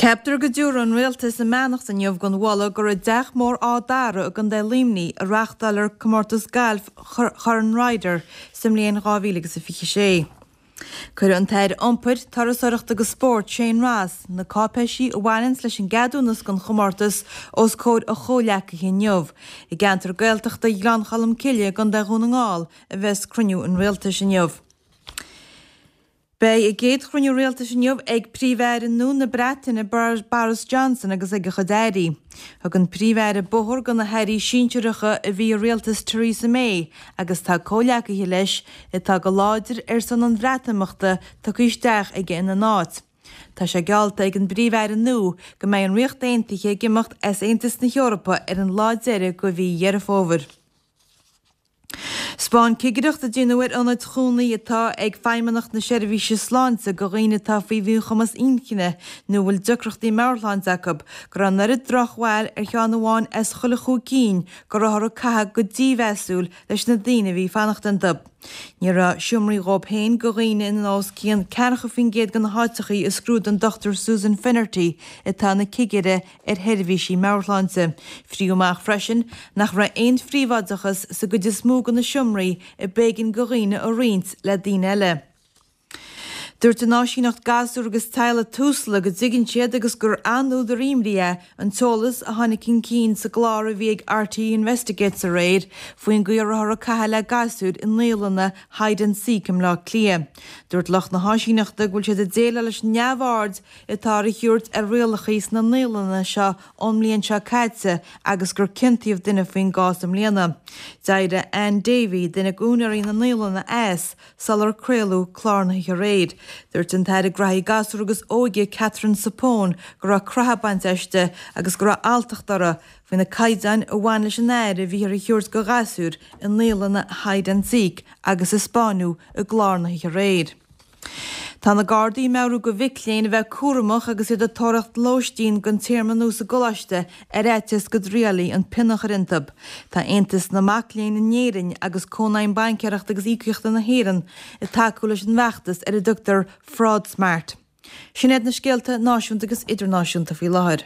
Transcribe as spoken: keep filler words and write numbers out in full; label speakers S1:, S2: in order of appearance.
S1: Ceaptar go dtabharfaidh an rialtas a mbeannacht inniu don mholadh go raibh teach mór Áth Dara i gContae Luimnigh a reáchtáil comórtas gailf Chorn Ryder sa mbliain dhá mhíle agus a fiche sé. Cuireadh an tAire Iompair, Turasóireachta agus Spóirt Shane Ross na cáipéisí a bhaineanns leis an gceadúnas don chomórtas os comhair a chomhghleacaithe inniu. I gceantar Gaeltachta Ghleann Cholm Cille i gContae Dhún na nGall a bheas cruinniú an rialtais inniu. Beidh a gcéad chruinniú rialtais inniu ag Príomh-Aire nua na Breataine Boris Johnson agus ag a chuid airí. Thug an Príomh-Aire bóthar do na hairí sinsearacha a bhí i rialtas Theresa May agus tá comhghleacaithe leis atá go láidir ar son an Bhreatimeachta tugtha isteach aige ina n-áit. Tá sé geallta ag an bPríomh-Aire nua go mbeidh an Ríocht Aontaithe ag imeacht as Aontas na hEorpa ar an lá deiridh de mhí Dheireadh Fómhair. 'Spáin cigireacht a déanadh ar ionaid chónaí atá ag Feidhmeannacht na Seirbhíse Sláinte do dhaoine atá faoi mhíchumas inchinne nó a bhfuil deacrachtaí meabhairshláinte acu, go raibh an oiread drochbhail ar cheann amháin as chuile chúig cinn go rabhthar ag caitheamh go dímheasúil leis na daoine a bhí ag fanacht iontu. Ní raibh seomraí dhóibh féin do dhaoine in os cionn ceathracha faoin gcéad de na háiteachaí a scrúdaigh an Dochtúir Susan Finnerty atá ina cigire ar sheirbhísí meabhairshláinte. Fríodh amach freisin nach raibh aon phríobháideachas sa gcuid is mó de na seomraí a b'éigean do dhaoine a roinnt le daoine eile. Dúirt an Áisíneacht Gasúr agus Teaghlaigh Tusla go dtuigeann siad agus gur an-údar imní é an t-eolas a tháinig chun cinn sa gclár a bhí ag R T É Investigates aréir faoin gcaoi a rabhthar ag caitheamh le gasúir i naíolanna Hide and Seek i mBleá Cliath. Dúirt lucht na háisíneachta go bhfuil siad ag déileáil leis an neamhaird atá á thabhairt ar rialacha sna naíolanna seo ón mbliain seo caite agus gur ciontaíodh duine faoin gcás i mbliana. D'éirigh Ann Davey, duine d'úinéirí na naíolanna, as sular craoladh clár na hoíche aréir. Dúirt an tAire Gnóthaí Gasúr agus Óige Catherine Zappone go raibh croitheadh bainte aisti agus go raibh alltacht uirthi faoi na caighdeáin a bhain leis an aire a bhíothar a thabhairt do ghasúir i naíolanna Hide and Seek agus a spáineadh i gclár na hoíche aréir. Tá na Gardaí ag meabhrú do mhic léinn a bheith cúramach agus iad ag tóraíocht lóistín don téarma nua sa gcoláiste ar fhaitíos go dtriailfí an pionna a chur iontu. Tá Aontas na Mac Léinn in Éirinn agus Cónaidhm Baincéireachta agus Íocaíochta na hÉireann ag tacú leis an bhfeachtas ar a dtugtar Fraud Smart. Sin iad na scéalta náisiúnta agus idirnáisiúnta faoi láthair.